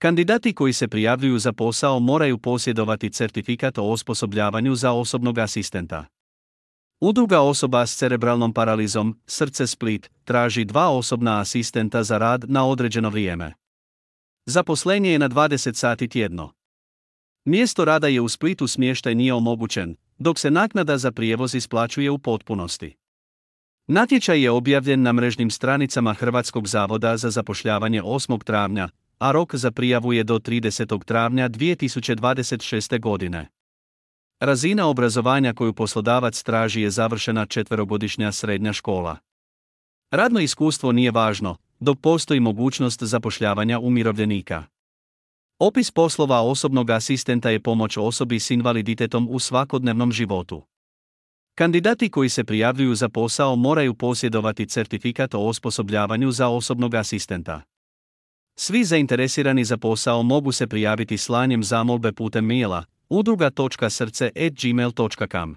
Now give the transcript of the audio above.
Kandidati koji se prijavljuju za posao moraju posjedovati certifikat o osposobljavanju za osobnog asistenta. Udruga osoba s cerebralnom paralizom, Srce Split, traži 2 osobna asistenta za rad na određeno vrijeme. Zaposlenje je na 20 sati tjedno. Mjesto rada je u Splitu, smještaj nije omogućen, dok se naknada za prijevoz isplaćuje u potpunosti. Natječaj je objavljen na mrežnim stranicama Hrvatskog zavoda za zapošljavanje 8. travnja, a rok za prijavu je do 30. travnja 2026. godine. Razina obrazovanja koju poslodavac traži je završena 4-godišnja srednja škola. Radno iskustvo nije važno, dok postoji mogućnost zapošljavanja umirovljenika. Opis poslova osobnog asistenta je pomoć osobi s invaliditetom u svakodnevnom životu. Kandidati koji se prijavljuju za posao moraju posjedovati certifikat o osposobljavanju za osobnog asistenta. Svi zainteresirani za posao mogu se prijaviti slanjem zamolbe putem maila udruga.srce@gmail.com.